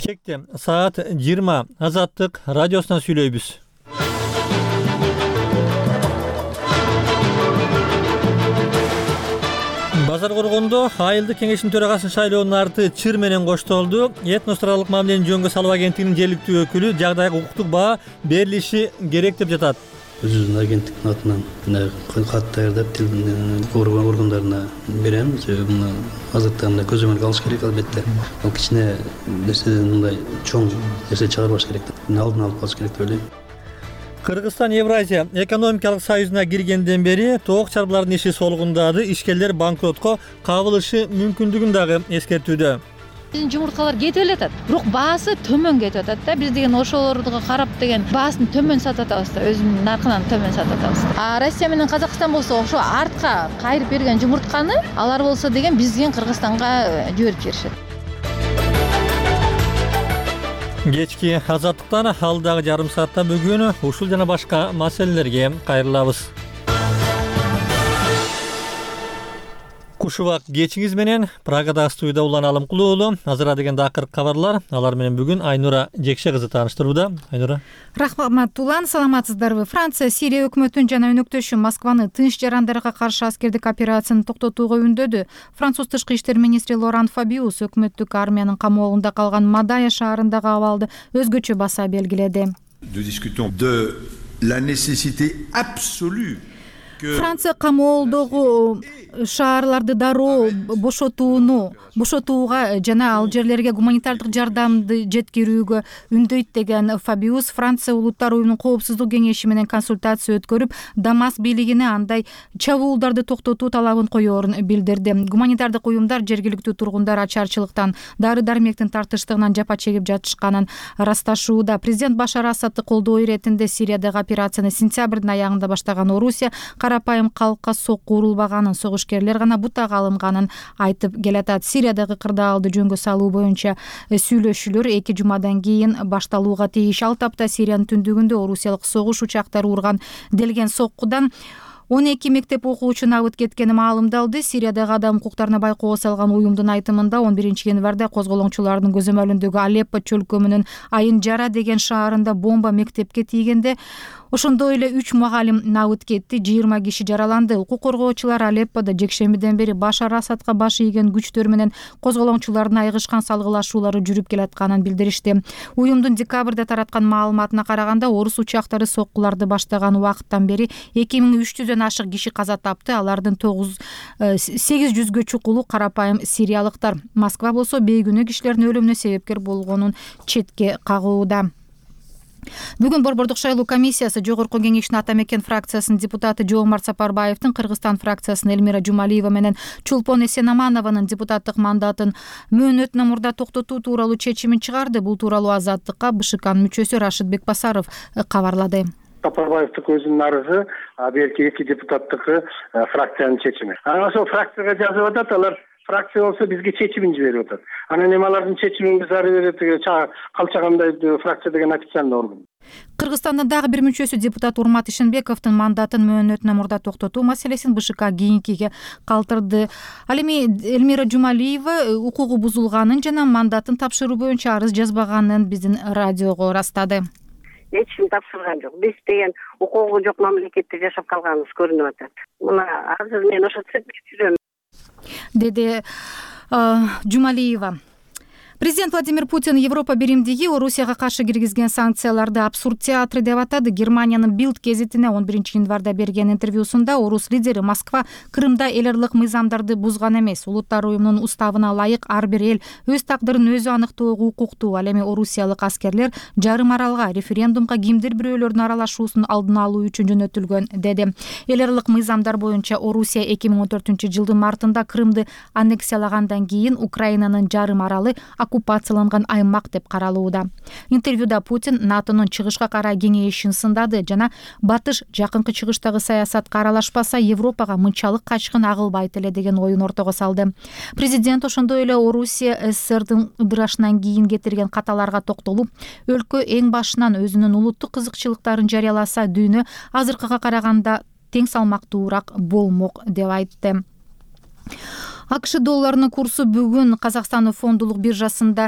Бишкекте саат 20 Азаттык радиосунан сүйлөйбүз. Базар Коргондо айылдык кеңештин төрагасын шайлоонун арты чыр менен коштолду. Этносаралык мамилени жөнгө салуу агенттигинин жергиликтүү өкүлү жагдайга укуктук баа берилиши керек деп жатат. Өзүбүздүн агенттиктин атынан кат даярдап тил органдарына беремиз. Муну азыртта көзөмөлгө алыш керек албетте. Ал кичине нерседен мындай чоң нерсе чыгарбаш керек. Алдын алып калыш керек деп ойлойм. Кыргызстан Евразия экономикалык союзуна киргенден бери тоок чарбалардын иши солгундады. Ишкерлер банкротко кабылышы мүмкүндүгүн дагы эскертүүдө. Биздин жумурткалар кетип элетат, бирок баасы төмөн кетип атат да. Биз деген ошолорго карап деген баасын төмөн сатып атабыз да, өзүнүн наркынан төмөн сатып атабыз. Россия менен Казакстан болсо ошо артка кайрып берген жумуртканы алар болсо деген бизден Кыргызстанга жиберип беришет. Кечки Азаттыктан алдагы жарым саатта бүгүн ушул жана башка маселелерге кайрылабыз. Кушубак кечиңиз менен Прагада студияда Улан Алымкулуу. Азыр дегенде акыркы кабарлар. Алар менен бүгүн Айнура Жекше кызы тааныштырууда. Айнура. Рахмат Улан, саламатсыздарбы? Франция Сирия өкмөтүн жана өнөктөшү Москваны тынч жарандарга каршы аскердик операцияны токтотууга үндөдү. Француз тышкы иштер министри Лоран Фабиус өкмөттүк армиянын камоолунда калган Мадая шаарындагы абалды өзгөчө баса белгиледи. Франция камоолдогу шаарларды дароо бошотууга жана ал жерлерге гуманитардык жардамды жеткирүүгө үндөйт деген Фабиус Франция улуттар уюмунун коопсуздук кеңеши менен консультация өткөрүп, Дамаск бийлигине андай чабуулдарды токтотуу талабын коерун билдирди. Гуманитардык уюмдар жергиликтүү тургундар ачарчылыктан, дары-дармектин тартыштыгынан жапа чегип жатышканын ырасташууда. Президент Башар Асадты колдоо иретинде Сириядагы операцияны сентябрдын аягында баштаган Орусия карапайым калкка сокку урулбаганын, согушкерлер гана бутага алынганын айтып келатат. Сириядагы кырдаалды жөнгө салуу боюнча сүйлөшүүлөр 2 жумадан кийин башталууга тийиш. Ал тапта Сириянын түндүгүндө орусиялык согуш учактары урган делген соккудан 12 мектеп окуучу набыт кеткени маалымдалды. Сириядагы адам укуктарына байкоо салган уюмдун айтымында 11 январда козголоңчулардын көзөмөлүндөгү Алеппо чөлкөмүнүн Айын Жара деген шаарында бомба мектепке тийгенде ошондой эле 3 мугалим набыт кетти, 20 киши жараланды. Укук коргоочулар Алепподо жекшембиден бери Башар Асадка баш ийген күчтөр менен козголоңчулардын айыгышкан салгылашуулары жүрүп келатканын билдиришти. Уюмдун декабрда тараткан маалыматына караганда, орус учактары соккуларды баштаган убакыттан бери 2300дөн ашык киши каза тапты. Алардын 800гө чукулу карапайым сириялыктар. Москва болсо бейгүнөө кишилердин өлүмүнө себепкер болгонун четке кагууда. Бүгүн Борбордук шайлоо комиссиясы Жогорку кеңештин Ата Мекен фракциясынын депутаты Жоомарт Сапарбаевдин Кыргызстан фракциясынын Элмира Жумалиева менен Чулпон Эсенаманованын депутаттык мандатын мөөнөтүнөн мурда токтотуу тууралуу чечимин чыгарды. Бул тууралуу Азаттыкка БШКнын мүчөсү Рашид Бекбасаров кабарлады. Сапарбаевдик өзүнүн арызы, берки 2 депутаттыкы фракциянын чечими. Ошол фракцияга жазып атат, алар фракция болсо бизге чечимин жиберип атат. Анан эми алардын чечимин биз ары бери калчагандай фракция деген официальный орган. Кыргызстандын дагы бир мүчөсү депутат Урмат Ишенбековдун мандатын мөөнөтүнөн мурда токтотуу маселесин БШК кийинкиге калтырды. Ал эми Элмира Жумалиева укугу бузулганын жана мандатын тапшыруу боюнча арыз жазбаганын биздин радиого ырастады. Эч ким тапшырган жок. Биз деген укугу жок мамлекетте жашап калганыбыз көрүнүп атат. Мына азыр мен ошо жүрөм, деди Жумалиева. Президент Владимир Путин Европа биримдиги Орусияга каршы киргизген санкцияларды абсурд театры деп атады. Германиянын Билд гезитине 11 январда берген интервьюсунда орус лидери Москва Крымда эл аралык мыйзамдарды бузган эмес, улуттар уюмунун уставына ылайык ар бир эл өз тагдырын өзү аныктоого укуктуу. Ал эми орусиялык аскерлер жарым аралга референдумга кимдир бирөөлөрдүн аралашуусун алдын алуу үчүн жөнөтүлгөн деди. Эл аралык мыйзамдар боюнча Орусия 2014-жылдын мартында Крымды аннексиялагандан кийин Украинанын жарым аралы оккупацияланган аймак деп каралууда. Интервьюда Путин НАТОнун чыгышка карай кеңешин сындады жана батыш жакынкы чыгыштагы саясатка аралашпаса Европага мынчалык качкын агылбайт эле деген оюн ортого салды. Президент ошондой эле Орусия СССРдин ыдырашынан кийин кетирген каталарга токтолуп, өлкө эң башынан өзүнүн улуттук кызыкчылыктарын жарыяласа, дүйнө азыркыга караганда тең салмактуураак болмок деп айтты. АКШ долларынын курсу бүгүн Казакстан фондулук биржасында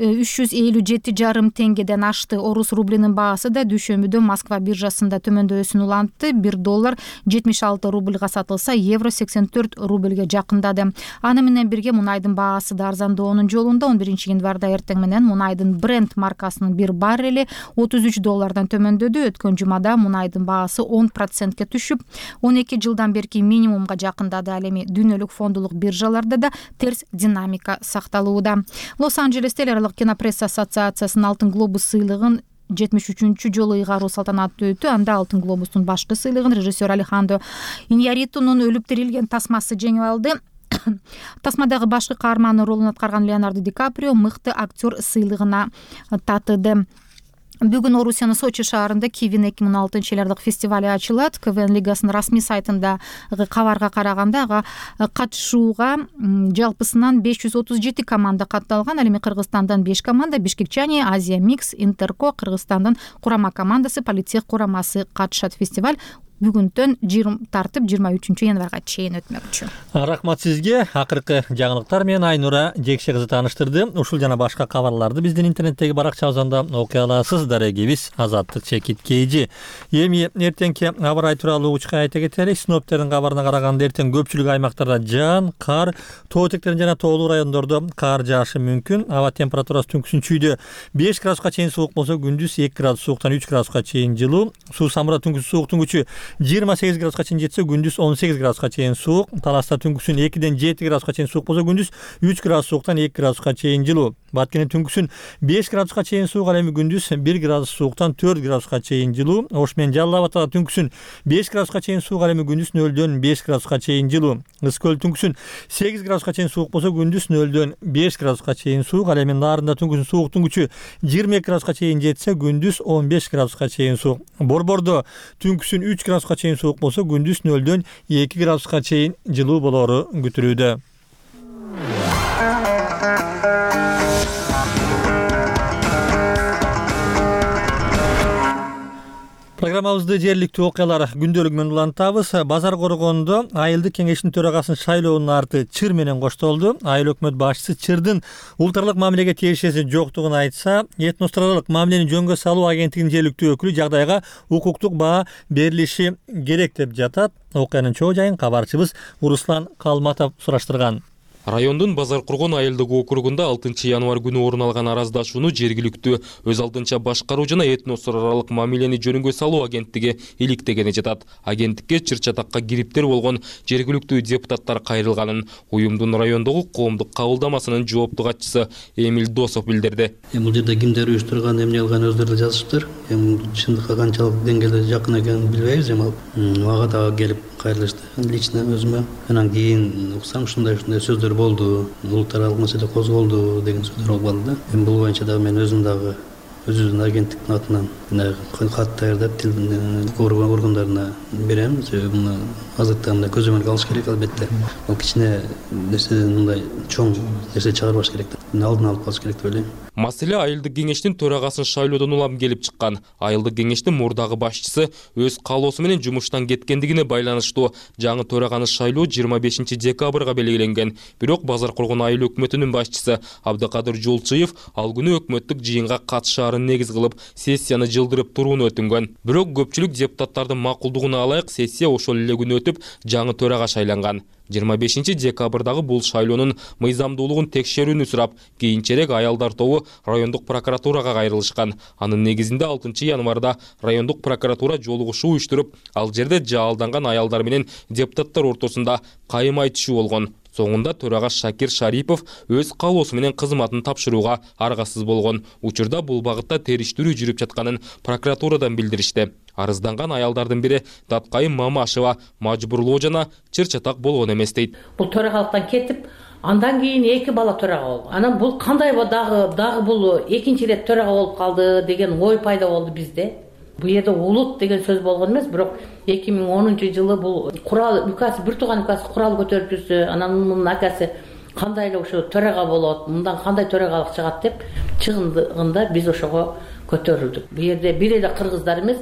357,5 теңгеден ашты. Орус рублинин баасы да дүйшөмбүдө Москва биржасында төмөндөсүн улантты. 1 доллар 76 рубльга сатылса, евро 84 рубльге жакындады. Аны менен бирге мунайдын баасы да арзандоонун жолунда. 11 январда эртең менен мунайдын Brent маркасынын 1 баррели 33 доллардан төмөндөдү. Өткөн жумада мунайдын баасы 10%ке түшүп, 12 жылдан берки минимумга жакындады. Ал эми дүйнөлүк фондулук биржаларда да терс динамика сакталууда. Лос-Анджелес эл аралык кинопресса ассоциациясынын Алтын глобус сыйлыгын 73 жолу ыйгаруу салтанаты өтү. Анда Алтын глобустун башкы сыйлыгын режиссер Алехандро Иньярритунун өлүп тирилген тасмасы жеңип алды. Тасмадагы башкы каармандын ролун аткарган Леонардо Ди Каприо мыкты актер сыйлыгына татыды. Бүгүн Орусиянын Сочи шаарында Кивин 2006 жылдык фестивали ачылат. КВН лигасынын расмий сайтындагы кабарга караганда ага катышууга жалпысынан 537 команда катталган. Ал эми Кыргызстандан 5 команда, Бишкекчане, Азия Микс, Интерко, Кыргызстандын курама командасы, Политех курамасы катышат. Фестиваль бүгүндөн тартып 23 январга чейин өтмөкчү. Рахмат сизге. Акыркы жаңылыктар менен Айнура Жекше кызы тааныштырды. Ушул жана башка кабарларды биздин интернеттеги баракчабызда окуй аласыз. Дарегибиз Азаттык Чекит Кейжи. Эми эртеңки аба ырайы тууралуу учка айта кетелик. Синоптиктердин кабарына караганда эртең көпчүлүк аймактарда жаан, кар, тоо этектерин жана тоолуу райондордо кар жаашы мүмкүн. Аба температурасы түнкүсүн чүйдө 5 градуска чейин суук болсо, күндүз 2 градус сууктан 3 градуска чейин жылуу. Суу самурда түнкүсүн сууктун күчү 28 градуска чейин жетсе, күндүз 18 градуска чейин суук. Таласта түнкүсүн 2ден 7 градуска чейин суук болсо, күндүз 3 градус сууктан 2 градуска чейин жылуу. Баткенде түнкүсүн 5 градуска чейин суук, ал эми күндүз 1 градус сууктан 4 градуска чейин жылуу. Ош менен Жалал Абадта түнкүсүн 5 градуска чейин суук, ал эми күндүз 0дөн 5 градуска чейин жылуу. Ыс көл түнкүсүн 8 градуска чейин суук болсо, күндүз 0дөн 5 градуска чейин суук, ал эми Нарында түнкүсүн сууктун күчү 22 градуска чейин жетсе, күндүз 15 градуска чейин суук. Борбордо түнкүсүн 3 градуска чейин суук болсо, күндүз 0дөн 2 градуска чейин жылуу болору күтүлүүдө. Программабызды жергиликтүү окуялар күндөлүгү менен улантабыз. Базар Коргондо айылдык кеңештин төрагасынын шайлоонун арты чыр менен коштолду. Айыл өкмөт башчысы чырдын улуттаралык мамилеге тиешеси жоктугун айтса, этностралык мамилени жөнгө салуу агенттигинин жергиликтүү өкүлү жагдайга укуктук баа берилиши керек деп жатат. Окуянын чоо жайын кабарчыбыз Руслан Калматов сураштырган. Райондун Базар Коргон айылдык округунда 6 январ күнү орун алган араздашууну жергиликтүү өз алдынча башкаруу жана этностор аралык мамилени жөнүнгө салуу агенттиги иликтегени жатат. Агенттикке чыр-чатакка кириптер болгон жергиликтүү депутаттар кайрылганын уюмдун райондогу коомдук кабылдамасынын жоопту катчысы Эмиль Досов билдирди. Бул жерде кимдер уюштурган, эмне кылган өздөрү жазышыптыр. Чындыкка канчалык деңгээлде жакын экенин билбейбиз, ага дагы келип кайрылышты. Лично өзүмө анан кийин уксам ушундай сөздөр болду, улуттаралык маселе козголду деген сөздөр болуп калды да. Бул боюнча дагы мен өзүм дагы өзүбүздүн агенттиктин атынан кат даярдап органдарына берем. Себеби муну азыркыда мындай көзөмөлгө алыш керек албетте. Бул кичине нерседен мындай чоң нерсе чыгарбаш керек да. Алдын алып калыш керек деп ойлойм. Маселе айылдык кеңештин төрагасын шайлоодон улам келип чыккан. Айылдык кеңештин мурдагы башчысы өз каалоосу менен жумуштан кеткендигине байланыштуу жаңы төраганы шайлоо 25 декабрга белгиленген. Бирок Базар Коргон айыл өкмөтүнүн башчысы Абдыкадыр Жолчуев ал күнү өкмөттүк жыйынга катышаарын негиз кылып, сессияны жылдырып турууну өтүнгөн. Бирок көпчүлүк депутаттардын макулдугуна алайык сессия ошол эле күнү өтүп, жаңы төрага шайланган. 25 декабрдагы бул шайлоонун мыйзамдуулугун текшерүүнү сурап, кийинчерээк аялдар тобу райондук прокуратурага кайрылышкан. Анын негизинде 6 январда райондук прокуратура жолугушуу уюштуруп, ал жерде жаалданган аялдар менен депутаттар ортосунда кайым айтышуу болгон. Соңунда төрага Шакир Шарипов өз каалоосу менен кызматын тапшырууга аргасыз болгон. Учурда бул багытта териштирүү жүрүп жатканын прокуратурадан билдиришти. Арызданган аялдардын бири Таткайым Мамашева мажбурлоо жана чыр-чатак болгон эмес дейт. Бул төрагалыктан кетип, андан кийин 2 бала төрага болду. Анан бул кандай дагы бул экинчи ирет төрага болуп калды деген ой пайда болду бизде. Бул жерде улут деген сөз болгон эмес, бирок 2010-жылы бул курал указ, бир тууган указ курал көтөрүп жүрсө, анан мунун акасы кандай эле ошо төрага болот, мындан кандай төрагалык чыгат деп чыгындыгында биз ошого көтөрүлдүк. Бул жерде бир эле кыргыздар эмес,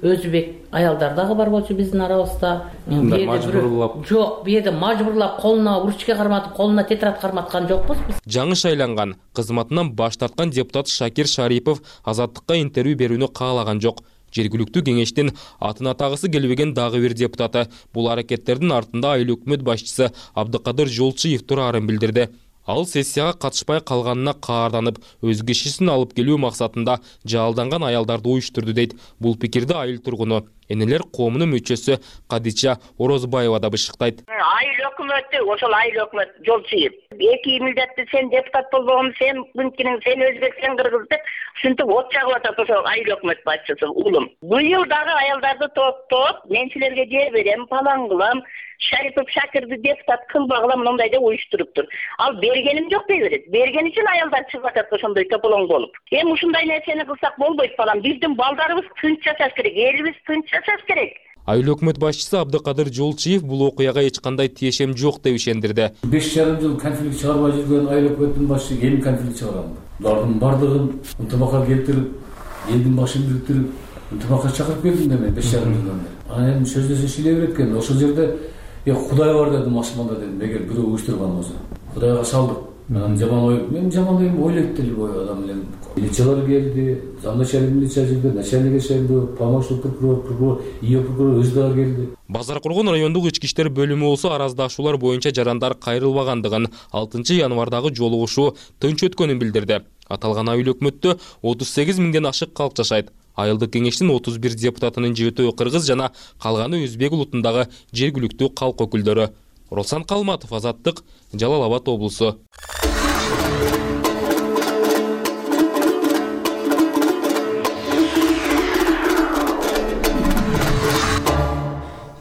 өзбек аялдар дагы бар болчу биздин арабызда. Мажбурлап. Жок, бу жерде мажбурлап колуна ручка карматып, колуна тетрадь карматкан жокпуз биз. Жаңы шайланган, кызматынан баш тарткан депутат Шакир Шарипов Азаттыкка интервью берүүнү каалаган жок. Жергиликтүү кеңештин атын атагысы келбеген дагы бир депутаты бул аракеттердин артында айыл өкмөт башчысы Абдыкадыр Жолчиев турарын билдирди. Ал сессияга катышпай калганына каарданып, өз кишисин алып келүү максатында жалданган аялдарды уюштурду дейт. Бул пикирди айыл тургуну, энелер коомунун мүчөсү Кадича Орозбаева да бышыктайт. Айыл өкмөтү, ошол айыл өкмөт Жолчиев. Эки милдетти сен депутат болбогон, сен мынтинең, сен өзбек, сен кыргыз деп ушинтип от чагып атат ошол айыл өкмөт башчысы улум. Быйыл дагы аялдарды топтоп, мен силерге жер берем, палан кылам, Шарипов Шакирди депутат кылбагыла мындай деп уюштуруптур. Ал бергеним жок дей берет. Берген үчүн аялдар чыгып атат ошондой тополоң болуп. Ушундай нерсени кылсак болбойт балам. Биздин балдарыбыз тынч жашаш керек, элибиз тынч жашаш керек. Айыл өкмөт башчысы Абдыкадыр Жолчиев бул окуяга эч кандай тиешем жок деп ишендирди. 5,5 жыл конфликт чыгарбай жүргөн айыл өкмөттүн башчысы эми конфликт чыгарам. Булардын бардыгын ынтымакка келтирип, элдин башын бириктирип, ынтымакка чакырып келдим да мен 5,5 жылдан бери. Анан эми сөздөсө шиле берет экен. Ошол жерде Кудай бар дедим, асманда дедим. Эгер бирөө уюштурган болсо, Кудайга салдык. Анан жаман ой, мен жаман дейм, ойлойт деле бой адам эле. Милициялар келди, замначальник милиция келди, начальник келди, помощник прокурор, ее прокурор өз дагы келди. Базар Кургон райондук ички иштер бөлүмү болсо араздашуулар боюнча жарандар кайрылбагандыгын, 6-январдагы жолугушуу тынч өткөнүн билдирди. Аталган айыл өкмөттө 38 миңден ашык калк жашайт. Айылдык кеңештин 31 депутатынын 7-өө кыргыз жана калганы өзбек улутундагы жергиликтүү калк өкүлдөрү. Росан Калматов, Азаттык, Жалал Абад облусу.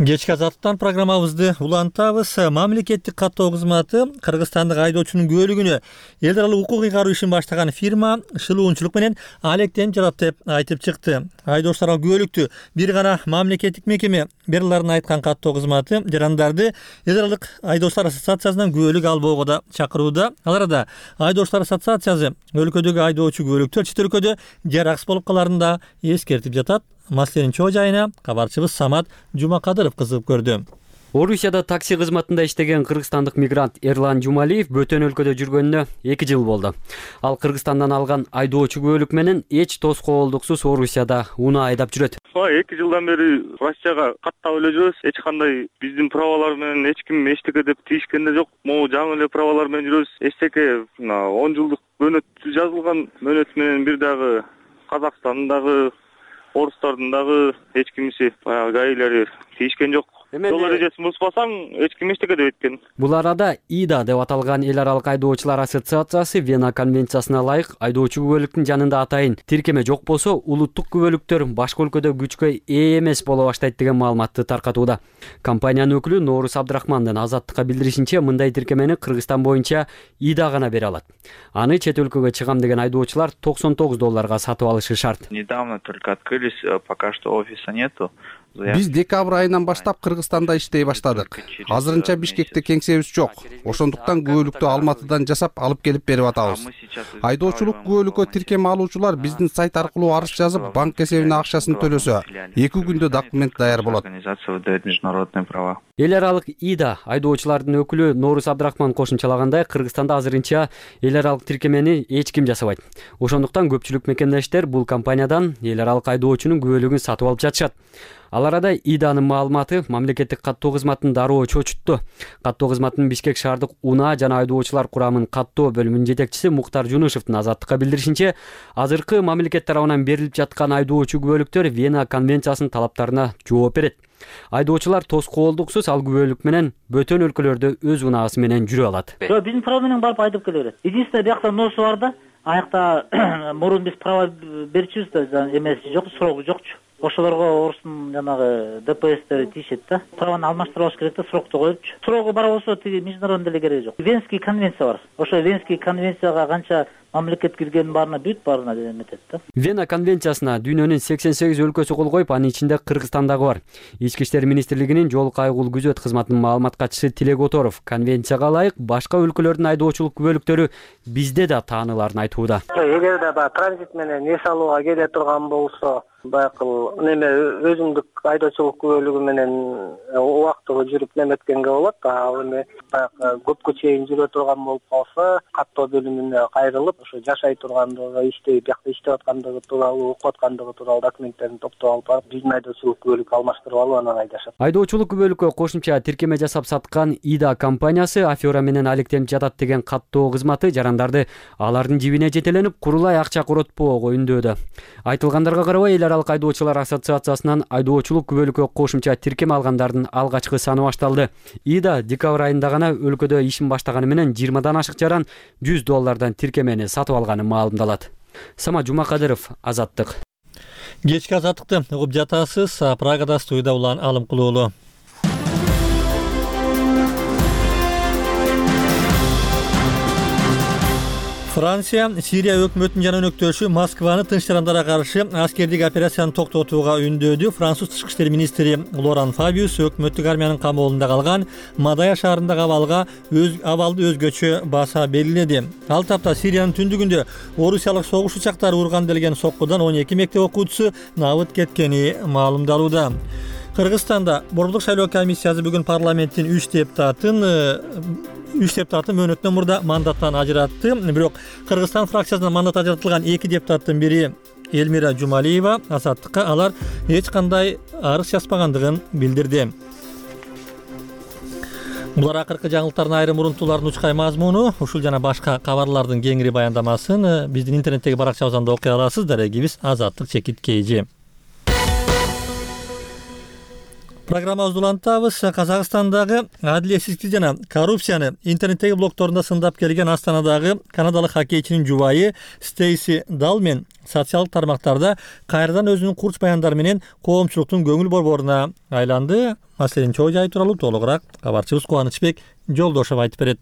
Кечки Азаттыктан программабызды улантабыз. Мамлекеттик каттоо кызматы Кыргызстандык айдоочунун күбөлүгүнө эл аралык укук ыйгаруу ишин баштаган фирма шылуунчулук менен алектенип жатат деп айтып чыкты. Айдоочуларга күбөлүктү бир гана мамлекеттик мекеме бериларын айткан каттоо кызматы жарандарды эл аралык айдоочулар ассоциациясынан күбөлүк албоого да чакырууда. Ал арада айдоочулар ассоциациясы өлкөдөгү айдоочу күбөлүктөр чет өлкөдө жараксыз болуп каларын да эскертип жатат. Маселенин чоо жайына кабарчыбыз Самат Жумакадыров кызыгып көрдү. Орусияда такси кызматында иштеген кыргызстандык мигрант Эрлан Жумалиев бөтөн өлкөдө жүргөнүнө 2 жыл болду. Ал Кыргызстандан алган айдоочу күбөлүк менен эч тоскоолдуксуз Орусияда унаа айдап жүрөт. 2 жылдан бери Россияга каттап эле жүрөбүз. Эч кандай биздин правалар менен эч ким эчтеке деп тийишкен да жок. Могу жаңы эле правалар менен жүрөбүз. Эчтеке 10 жылдык мөөнөт жазылган мөөнөт менен бир дагы Казакстандагы орустардын дагы эч кимиси баягы гаилери тийишкен жок. Жол эрежесин бузбасаң эч ким эчтеке деп эткен. Бул арада ИДА деп аталган эл аралык айдоочулар ассоциациясы Вена конвенциясына ылайык айдоочу күбөлүктүн жанында атайын тиркеме жок болсо улуттук күбөлүктөр башка өлкөдө күчкө ээ эмес боло баштайт деген маалыматты таркатууда. Компаниянын өкүлү Норус Абдрахмандын Азаттыкка билдиришинче, мындай тиркемени Кыргызстан боюнча ИДА гана бере алат. Аны чет өлкөгө чыгам деген айдоочулар $99 сатып алышы шарт. Недавно только открылись, пока что офиса нету. Биз декабрь айынан баштап Кыргызстанда иштей баштадык. Азырынча Бишкекте кеңсебиз жок. Ошондуктан күбөлүктү Алматыдан жасап алып келип берип атабыз. Айдоочулук күбөлүккө тиркеме алуучулар биздин сайт аркылуу арыз жазып, банк эсебине акчасын төлөсө, 2 күндө документ даяр болот. Эл аралык ИДА айдоочулардын өкүлү Норус Абдрахман кошумчалагандай, Кыргызстанда азырынча эл аралык тиркемени эч ким жасабайт. Ошондуктан көпчүлүк мекемдештер бул компаниядан эл аралык айдоочунун күбөлүгүн сатып алып жатышат. Ал арада ИДАнын маалыматы мамлекеттик каттоо кызматын дароо чочутту. Каттоо кызматынын Бишкек шаардык унаа жана айдоочулар курамын каттоо бөлүмүнүн жетекчиси Муктар Жунушевдин Азаттыкка билдиришинче, азыркы мамлекет тарабынан берилип жаткан айдоочу күбөлүктөр Вена конвенциясынын талаптарына жооп берет. Айдоочулар тоскоолдуксуз ал күбөлүк менен бөтөн өлкөлөрдө өз унаасы менен жүрө алат. Биздин права менен барып айдап келе берет. Единственное биякта носу бар да, аякта мурун биз права берчүбүз да, эмеси жок, срогу жокчу. Ошолорго орустун жанагы ДПСтери тийишет да. Праваны алмаштырбаш керек да, срокто коюпчу. Срогу бар болсо тиги международный деле кереги жок. Венский конвенция бар. Ошо Венский конвенцияга канча мамлекет киргенин баарына бүт баарына эметет да. Вена конвенциясына дүйнөнүн 88 өлкөсү кол коюп, анын ичинде Кыргызстан дагы бар. Ички иштер министрлигинин жол кайгыл күзөт кызматынын маалымат катчысы Тилек Оторов конвенцияга ылайык башка өлкөлөрдүн айдоочулук күбөлүктөрү бизде да тааныларын айтууда. Эгерде баягы транзит менен эс алууга келе турган болсо, баягы неме өзүмдүк айдоочулук күбөлүгү менен убактылуу жүрүп неметкенге болот. Ал эми баягы көпкө чейин жүрө турган болуп калса, каттоо бөлүмүнө кайрылып, ошо жашай тургандыгы, биякта иштеп аткандыгы тууралуу, окуп аткандыгы тууралуу документтерин топтоп алып барып, биздин айдоочулук күбөлүккө алмаштырып алып анан айдашат. Айдоочулук күбөлүккө кошумча тиркеме жасап саткан ИДА компаниясы афера менен алектенип жатат деген каттоо кызматы жарандарды алардын жибине жетеленип, курулай акча коротпоого үндөөдө. Айтылгандарга карабай, эл аралык айдоочулар ассоциациясынан айдоочулук күбөлүккө кошумча тиркеме алгандардын алгачкы саны башталды. ИДА декабрь айында гана өлкөдө ишин баштаганы менен 20 ашык жаран $100 тиркемени сатып алганы маалымдалат. Самат Жумакадыров, Азаттык. Кечки азаттыкты угуп жатасыз. Прагада студияда улан Алым Кулуулу. Франция Сирия өкмөтүнүн жана өнөктөшү Москваны тынч жарандарга каршы аскердик операцияны токтотууга үндөөдү. Француз тышкы иштер министри Лоран Фабиус өкмөттүк армиянын камоолунда калган Мадая шаарындагы абалды өзгөчө баса белгиледи. Ал тапта Сириянын түндүгүндө орусиялык согуш учактары урган делген соккудан 12 мектеп окуучусу набыт кеткени маалымдалууда. Кыргызстанда борбордук шайлоо комиссиясы бүгүн парламенттин 3 депутатын мөөнөтүнөн мурда мандаттан ажыратты. Бирок Кыргызстан фракциясынан мандат ажыратылган 2 депутаттын бири Элмира Жумалиева Азаттыкка алар эч кандай арыз жазбагандыгын билдирди. Булар акыркы жаңылыктардын айрым урунтуулардын учкай мазмуну. Ушул жана башка кабарлардын кеңири баяндамасын биздин интернеттеги баракчабыздан окуй аласыз. Дарегибиз Азаттык _KG. Программабызды улантабыз. Казакстандагы адилетсиздикти жана коррупцияны интернеттеги блогторунда сындап келген Астанадагы канадалык хоккейчинин жубайы Стейси Далмен социалдык тармактарда кайрадан өзүнүн курч баяндары менен коомчулуктун көңүл борборуна айланды. Маселенин чоо жайы тууралуу толугураак кабарчыбыз Кубанычбек Жолдошов айтып берет.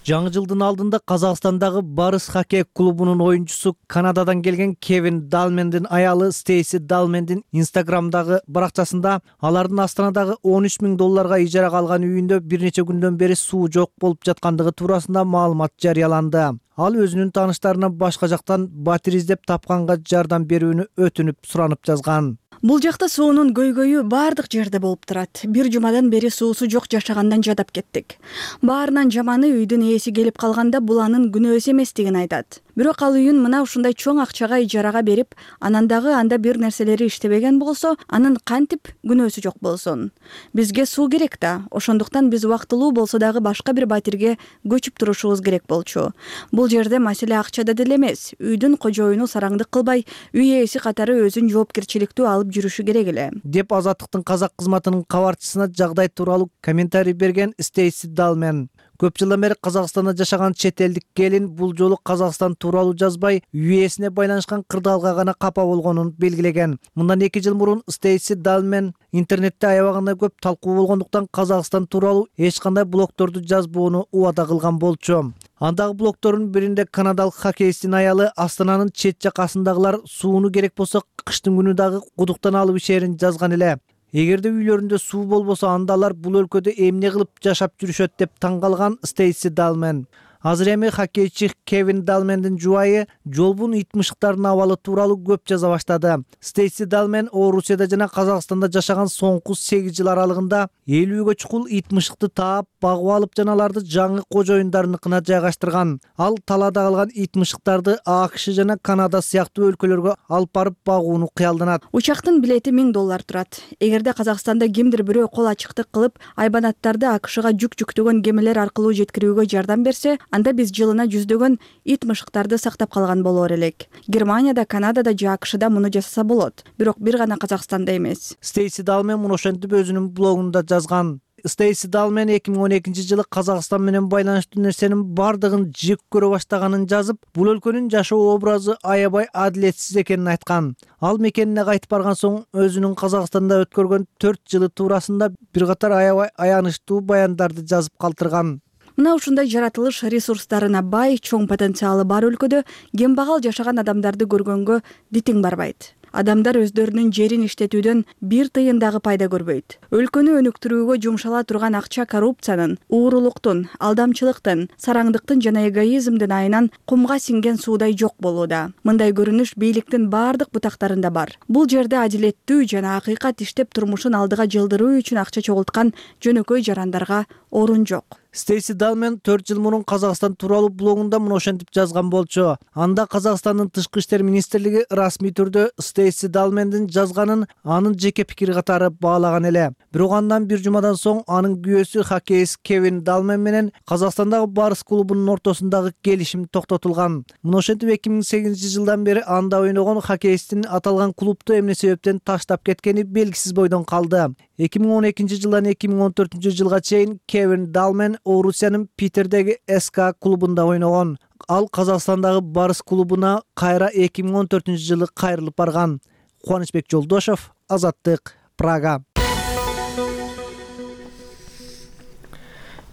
Жаңы жылдын алдында Казакстандагы Барыс хоккей клубунун оюнчусу Канададан келген Кевин Далмендин аялы Стейси Далмендин Инстаграмдагы баракчасында алардын Астанадагы $13,000 ижарага алган үйүндө бир нече күндөн бери суу жок болуп жаткандыгы туурасында маалымат жарыяланды. Ал өзүнүн тааныштарына башка жактан батир издеп тапканга жардам берүүнү өтүнүп суранып жазган. Бул жакта суунун көйгөйү баардык жерде болуп турат. Бир жумадан бери суусу жок жашагандан жадап кеттик. Баарынан жаманы үйдүн ээси келип калганда бул анын күнөөсү эместигин айтат. Бирок ал үйүн мына ушундай чоң акчага ижарага берип, анан дагы анда бир нерселери иштебеген болсо, анын кантип күнөөсү жок болсун. Бизге суу керек да, ошондуктан биз убактылуу болсо дагы башка бир батирге көчүп турушубуз керек болчу. Бул жерде маселе акчада деле эмес. Үйдүн кожоюну сараңдык кылбай, үй ээси катары өзүн жоопкерчиликтүү алып жүрүшү керек эле. Деп Азаттыктын казак кызматынын кабарчысына жагдай тууралуу комментарий берген Стейси Далмен. Көп жылдан бери Казакстанда жашаган чет элдик келин бул жолу Казакстан тууралуу жазбай, үй ээсине байланышкан кырдаалга гана капа болгонун белгилеген. Мындан 2 жыл мурун Стейси Далмен интернетте аябагандай көп талкуу болгондуктан Казакстан тууралуу эч кандай блогторду жазбоону убада кылган болчу. Андагы блогтордун биринде канадалык хоккейчинин аялы Астананын чет жакасындагылар сууну керек болсо кыштын күнү дагы кудуктан алып ишерин жазган эле. Эгерде үйлөрүндө суу болбосо анда алар бул өлкөдө эмне кылып жашап жүрүшөт деп таң калган Стейси Далмен. Азыр эми хоккейчи Кевин Далмендин жубайы жолбун итмышыктардын абалы тууралуу көп жаза баштады. Стейси Далмен Орусияда жана Казакстанда жашаган соңку 8 жыл аралыгында 50 чукул итмышыкты таап, багып алып жана аларды жаңы кожоюндарыныкына жайгаштырган. Ал талаада калган итмышыктарды АКШ жана Канада сыяктуу өлкөлөргө алып барып багууну кыялданат. Учактын билети $1000 турат. Эгерде Казакстанда кимдир бирөө кол ачыктык кылып, айбанаттарды АКШга жүк жүктөгөн кемелер аркылуу жеткирүүгө жардам берсе, анда биз жылына жүздөгөн ит мышыктарды сактап калган болор элек. Германияда, Канадада же АКШда муну жасаса болот. Бирок бир гана Казакстанда эмес. Стейси Далмен муну ошентип өзүнүн блогунда жазган. Стейси Далмен 2012 жылы Казакстан менен байланыштуу нерсенин бардыгын жек көрө баштаганын жазып, бул өлкөнүн жашоо образы аябай адилетсиз экенин айткан. Ал мекенине кайтып барган соң өзүнүн Казакстанда өткөргөн 4 жылы туурасында бир катар аябай аянычтуу баяндарды жазып калтырган. Мына ушундай жаратылыш ресурстарына бай, чоң потенциалы бар өлкөдө кембагал жашаган адамдарды көргөнгө дитиң барбайт. Адамдар өздөрүнүн жерин иштетүүдөн бир тыйын дагы пайда көрбөйт. Өлкөнү өнүктүрүүгө жумшала турган акча коррупциянын, уурулуктун, алдамчылыктын, сараңдыктын жана эгоизмдин айынан кумга сиңген суудай жок болууда. Мындай көрүнүш бийликтин бардык бутактарында бар. Бул жерде адилеттүү жана акыйкат иштеп турмушун алдыга жылдыруу үчүн акча чогулткан жөнөкөй жарандарга орун жок. Стейси Далмен 4 жыл мурун Казакстан тууралуу блогунда мына ошентип жазган болчу. Анда Казакстандын тышкы иштер министрлиги расмий түрдө Стейси Далмендин жазганын анын жеке пикири катары баалаган эле. Бирок андан бир жумадан соң анын күйөөсү хоккейист Кевин Далмен менен Казакстандагы Барыс клубунун ортосундагы келишим токтотулган. Мына ошентип 2008 жылдан бери анда ойногон хоккейисттин аталган клубду эмне себептен таштап кеткени белгисиз бойдон калды. 2012 жылдан 2014 жылга чейин Кевин Далмен Орусиянын Питердеги СК клубунда ойногон. Ал Казакстандагы Барыс клубуна кайра 2014 жылы кайрылып барган. Кубанычбек Жолдошов, Азаттык, Прага.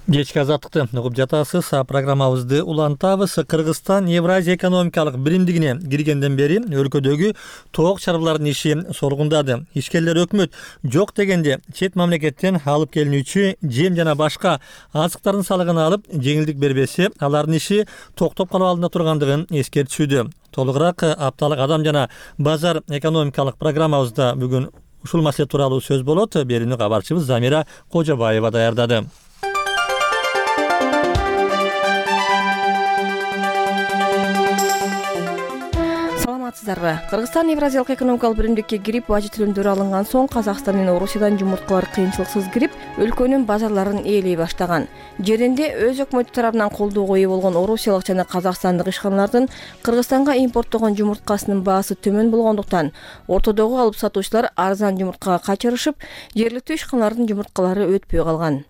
Кечки азаттыкты угуп жатасыз. Программабызды улантабыз. Кыргызстан Евразия экономикалык биримдигине киргенден бери өлкөдөгү тоок чарбалардын иши соргундады. Ишкерлер өкмөт жок дегенде чет мамлекеттен алып келинүүчү жем жана башка азыктардын салыгын алып жеңилдик бербесе, алардын иши токтоп калуу алдында тургандыгын эскертишүүдө. Толугураак апталык адам жана базар экономикалык программабызда бүгүн ушул маселе тууралуу сөз болот. Берүүнү кабарчыбыз Замира Кожобаева даярдады. Кыргызстан Евразиялык экономикалык биримдикке кирип, бажы төлөмдөрү алынган соң Казакстан менен Орусиядан жумурткалар кыйынчылыксыз кирип, өлкөнүн базарларын ээлей баштаган. Жеринде өз өкмөтү тарабынан колдоого ээ болгон орусиялык жана казакстандык ишканалардын Кыргызстанга импорттогон жумурткасынын баасы төмөн болгондуктан, ортодогу алып сатуучулар арзан жумурткага качырышып, жергиликтүү ишканалардын жумурткалары өтпөй калган.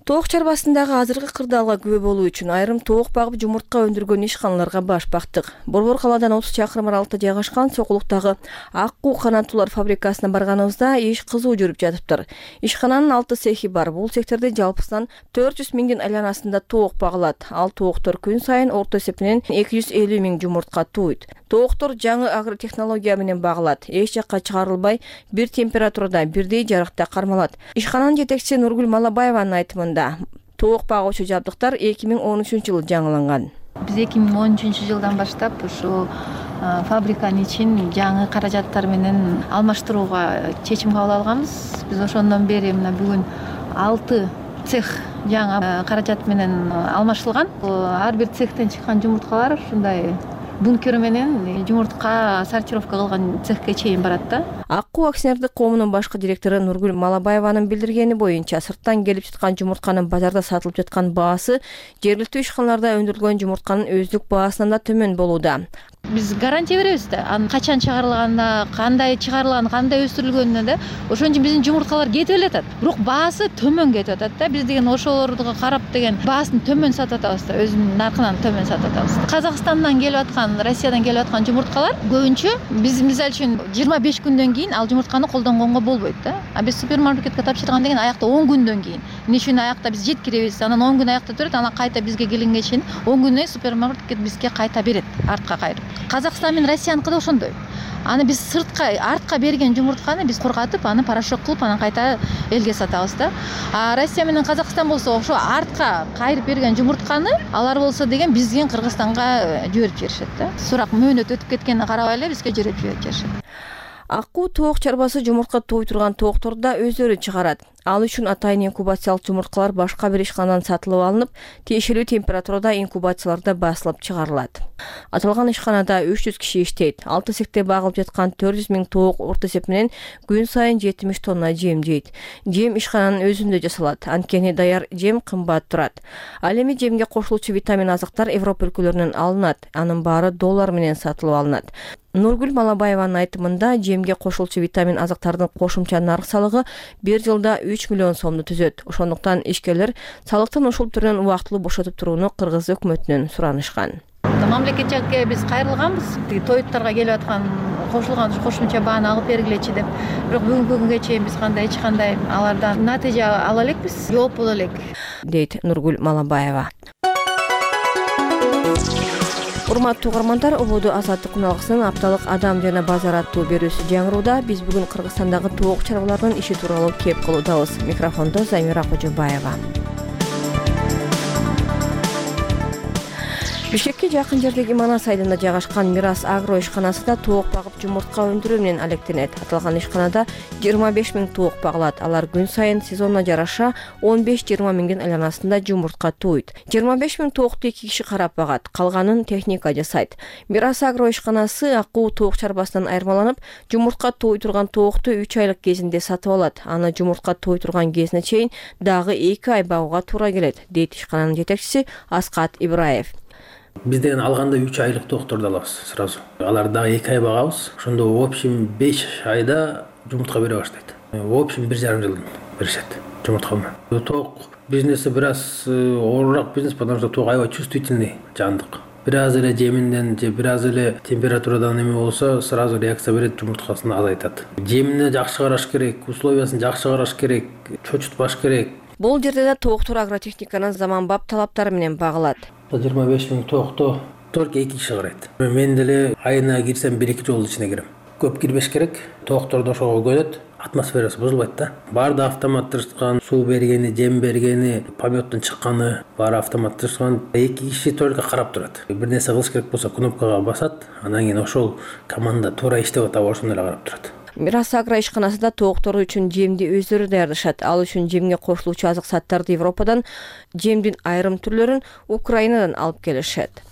Тоок чарбасындагы азыркы кырдаалга күбө болуу үчүн айрым тоок багып жумуртка өндүргөн ишканаларга баш бактык. Борбор калаадан 30 чакырым аралыкта жайгашкан Сокулуктагы Аккуу канаттуулар фабрикасына барганыбызда иш кызуу жүрүп жатыптыр. Ишкананын 6 цехи бар. Бул цехтерде жалпысынан 400 миңдин айланасында тоок багылат. Ал тооктор күн сайын орто эсеп менен 250 миң жумуртка тууйт. Тооктор жаңы агротехнология менен багылат. Эч жакка чыгарылбай, бир температурада, бирдей жарыкта кармалат. Ишкананын жетекчиси Нургүл Малабаеванын айтымында, тоок багуучу жабдыктар 2013 жылы жаңыланган. Биз 2013 жылдан баштап ушу фабриканын ичин жаңы каражаттар менен алмаштырууга чечим кабыл алганбыз. Биз ошондон бери мына бүгүн 6 цех жаңы каражат менен алмаштырылган. Ар бир цехтен чыккан жумурткалар ушундай бункер менен жумуртка сортировка кылган цехке чейин барат да. Аккуу акционердик коомунун башкы директору Нургүл Малабаеванын билдиргени боюнча, сырттан келип жаткан жумуртканын базарда сатылып жаткан баасы жергиликтүү ишканаларда өндүрүлгөн жумуртканын өздүк баасынан да төмөн болууда. Биз гарантия беребиз да. Анын качан чыгарылганына, кандай чыгарылган, кандай өстүрүлгөнүнө да. Ошон үчүн биздин жумурткалар кетип элетет. Бирок баасы төмөн кетип атат да. Биз деген ошолорду карап деген баасын төмөн сатып атабыз да, өзүнүн наркынан төмөн сатып атабыз. Казакстандан келип аткан, Россиядан келип аткан жумурткалар көбүнчө биз мисалы үчүн 25 күндөн кийин ал жумуртканы колдонгонго болбойт да. А биз супермаркетке тапшырган деген аякта 10 күндөн кийин. Эмне үчүн аякта биз жеткиребиз, анан 10 күн аякта турат, анан кайта бизге келгенге чейин 10 күнөй супермаркет бизге кайта берет, артка кайрып. Казакстан менен Россияныкы да ошондой. Аны биз сыртка, артка берген жумуртканы биз корготуп, аны порошок кылып, анан кайта элге сатабыз да. А Россия менен Казакстан болсо ошо артка кайрып берген жумуртканы алар болсо деген бизден Кыргызстанга жиберип жиберишет да. Сурак мөөнөт өтүп кеткенине карабай эле бизге жиберип жиберишет. Аккуу тоок чарбасы жумуртка тууй турган тоокторду да өздөрү чыгарат. Ал үчүн атайын инкубациялык жумурткалар башка бир ишканадан сатылып алынып, тиешелүү температурада инкубацияларда басылып чыгарылат. Аталган ишканада 300 киши иштейт. 6 цехте багылып жаткан 400 миң тоок орто эсеп менен күн сайын 70 тонна жем жейт. Жем ишкананын өзүндө жасалат. Анткени даяр жем кымбат турат. Ал эми жемге кошулуучу витамин азыктар Европа өлкөлөрүнөн алынат. Анын баары доллар менен сатылып алынат. Нургүл Малабаеванын айтымында, жемге кошулчу витамин азыктардын кошумча нарк салыгы бир жылда 3 миллион сомду түзөт. Ошондуктан ишкерлер салыктын ушул түрүнөн убактылуу бошотуп турууну кыргыз өкмөтүнөн суранышкан. Мамлекетке биз кайрылганбыз. Тоюттарга келип аткан кошулган кошумча бааны алып бергилечи деп. Бирок бүгүнкү күнгө чейин биз эч кандай алардан натыйжа ала элекпиз, жооп боло элек, дейт Нургүл Малабаева. Урматтуу угармандар, ободу азаттык күналгысынын апталык адам жана базар аттуу берүүсү жаңырууда. Биз бүгүн Кыргызстандагы тоок чарбаларынын иши тууралуу кеп кылуудабыз. Микрофондо Замира Кожобаева. Бишкекке жакын жердеги Манас айылында жайгашкан Мирас агро ишканасы да тоок багып жумуртка өндүрүү менен алектенет. Аталган ишканада 25 000 тоок багылат. Алар күн сайын сезонуна жараша 15-20 миңдин айланасында жумуртка тууйт. 25 000 тоокту 2 киши карап багат, калганын техника жасайт. Мирас агро ишканасы акуу тоок чарбасынан айырмаланып, жумуртка тууй турган тоокту 3 айлык кезинде сатып алат. Аны жумуртка тууй турган кезине чейин дагы 2 ай багууга туура келет, дейт ишкананын жетекчиси Аскат Ибраев. Биз деген алганда 3 айлык тоокторду алабыз сразу. Алар дагы 2 ай багабыз. Ошондо в общем 5 айда жумуртка бере баштайт. В общем 1,5 жылдан беришет жумуртка менен. Тоок бизнеси бир аз оорураак бизнес, потому что тоок аябай чувствительный жандык. Бир аз эле жеминден же бир аз эле температурадан эме болсо, сразу реакция берет, жумурткасын азайтат. Жемине жакшы караш керек, условиясын жакшы караш керек, чочутпаш керек. Бул жерде да тооктор агротехниканын заманбап талаптары менен багылат. 25 000 тоокто только 2 киши карайт. Мен деле айына кирсем 1-2 жолу ичине кирем. Көп кирбеш керек. Тоокторду ошого көнөт, атмосферасы бузулбайт да. Баарды автоматташкан, суу бергени, жем бергени, пометтон чыкканы баары автоматташкан. 2 киши только карап турат. Бир нерсе кылыш керек болсо кнопкага басат, анан кийин ошол команда туура иштеп атабы ошондой эле карап турат. Мирас агро ишканасында тооктору үчүн жемди өздөрү даярдашат. Ал үчүн жемге кошулуучу азык заттарды Европадан, жемдин айрым түрлөрүн Украинадан алып келишет.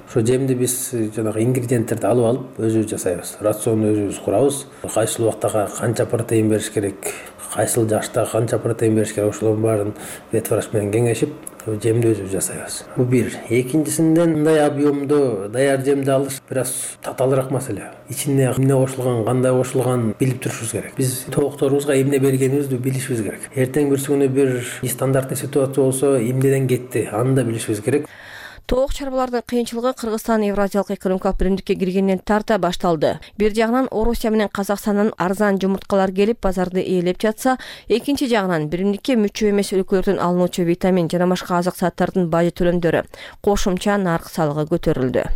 Ошо жемди биз жанагы ингредиенттерди алып өзүбүз жасайбыз. Рационду өзүбүз курабыз. Кайсыл убакта канча протеин бериш керек, кайсыл жашта канча протеин бериш керек, ошолордун баарын ветврач менен кеңешип жемди өзүбүз жасайбыз. Бул бир. Экинчисинен мындай объемдо даяр жемди алыш бир аз татаалыраак маселе. Ичине эмне кошулган, кандай кошулган билип турушубуз керек. Биз тоокторубузга эмне бергенибизди билишибиз керек. Эртең бүрсүгүнү бир стандартный ситуация болсо эмнеден кетти, аны да билишибиз керек. Тоок чарбалардын кыйынчылыгы Кыргызстан Евразиялык экономикалык биримдикке киргенден тарта башталды. Бир жагынан Орусия менен Казакстандан арзан жумурткалар келип базарды ээлеп жатса, экинчи жагынан биримдикке мүчө эмес өлкөлөрдөн алынуучу витамин жана башка азык заттардын бажы төлөмдөрү, кошумча нарк салыгы көтөрүлдү.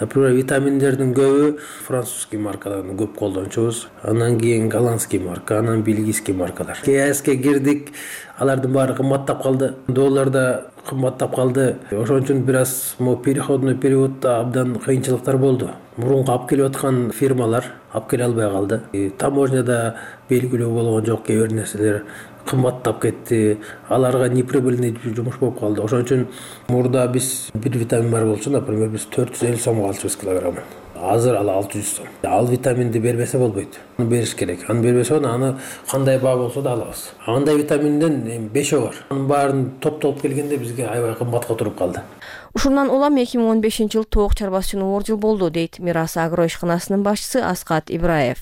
Например, витаминдердин көбү французский маркадан көп колдончубуз. Анан кийин голландский марка, анан бельгийский маркалар. КСке кирдик, алардын баары кымбаттап калды. Доллар да кымбаттап калды. Ошон үчүн бир аз переходный периодда абдан кыйынчылыктар болду. Мурунку алып келип аткан фирмалар алып келе албай калды. Таможняда белгилүү болгон жок, кээ бир нерселер кымбаттап кетти. Аларга неприбыльный жумуш болуп калды. Ошон үчүн мурда биз бир витамин бар болчу, например, биз 450 сомго алчубуз килограммын. Азыр ал 600 сом. Ал витаминди бербесе болбойт. Аны бериш керек. Аны бербесе аны кандай баа болсо да алабыз. Андай витаминден 5 бар. Анын баарын топтолуп келгенде бизге аябай кымбатка туруп калды. Ушундан улам 2015-жыл тоок чарбасы үчүн оор жыл болду, дейт Мирас агро ишканасынын башчысы Аскат Ибраев.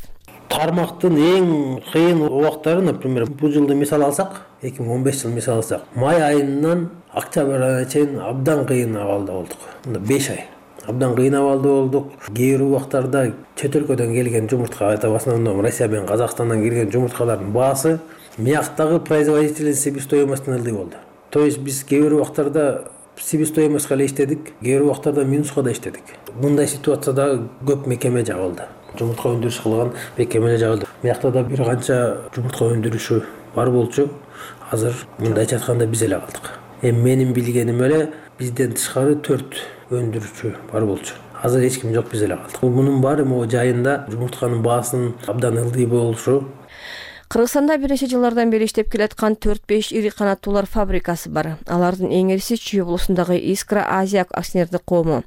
Тармактын эң кыйын убактары, например, бул жылды мисал алсак, 2015 жыл мисал алсак, май айынан октябрь айына чейин абдан кыйын абалда болдук. 5 ай. Абдан кыйын абалда болдук. Кээ бир убактарда чет өлкөдөн келген жумуртка, в основном Россия менен Казакстандан келген жумурткалардын баасы мияктагы производительный себестоимостьтен ылдый болду. То есть биз кээ бир убактарда себестоимостька эле иштедик, кээ бир убактарда минуска да иштедик. Мындай ситуацияда көп мекеме жабылды. Жумуртка өндүрүш кылган мекемелер жабылды. Миякта да бир канча жумуртка өндүрүшү бар болчу. Азыр мындайча айтканда биз эле калдык. Менин билгеним эле бизден тышкары 4 өндүрүүчү бар болчу. Азыр эч ким жок, биз эле калдык. Мунун баары могу жайында жумуртканын баасынын абдан ылдый болушу. Кыргызстанда бир нече жылдардан бери иштеп келаткан 4-5 ири канаттуулар фабрикасы бар. Алардын эң ириси Чүй облусундагы Искра Азия акционердик коому.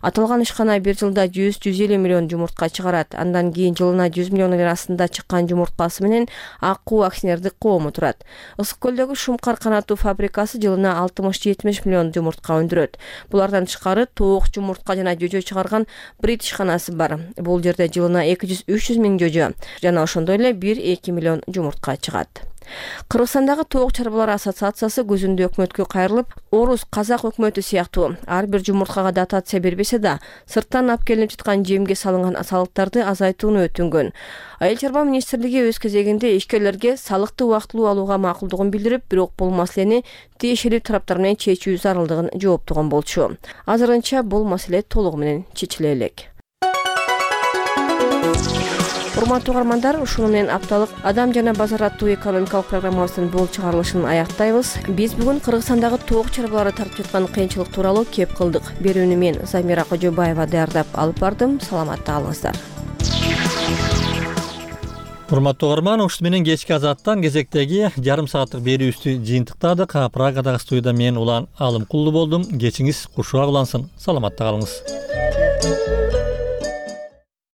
Аталган ишкана бир жылда 100-150 миллион жумуртка чыгарат. Андан кийин жылына 100 миллион астында чыккан жумурткасы менен Акуу акционердик коому турат. Ысык көлдөгү Шумкар канаттуу фабрикасы жылына 60-70 миллион жумуртка өндүрөт. Булардан тышкары тоок, жумуртка жана жөжө чыгарган Брит ишканасы бар. Бул жерде жылына 200-300 миң жөжө жана ошондой эле 1-2 миллион жумуртка чыгат. Кыргызстандагы тоок чарбалар ассоциациясы көзүндө өкмөткө кайрылып, орус, казак өкмөтү сыяктуу ар бир жумурткага дотация бербесе да, сырттан алып келинип жаткан жемге салынган салыктарды азайтууну өтүнгөн. Айыл чарба министрлиги өз кезегинде ишкерлерге салыкты убактылуу алууга макулдугун билдирип, бирок бул маселени тиешелүү тараптар менен чечүү зарылдыгын жооптогон болчу. Азырынча бул маселе толугу менен чечиле элек. Урматтуу угармандар, ушуну менен апталык Адам жана базар аттуу экономикалык программабыздын бул чыгарылышын аяктайбыз. Биз бүгүн Кыргызстандагы тоок чарбалары тартып жаткан кыйынчылык тууралуу кеп кылдык. Берүүнү мен Замира Кожобаева даярдап алып бардым. Саламатта калыңыздар. Урматтуу угарман, ушул менен кечки Азаттан кезектеги жарым сааттык берүүбүздү жыйынтыктадык. Прагадагы студияда мен Улан Алымкулду болдум. Кечиңиз кушуак улансын. Саламатта калыңыз.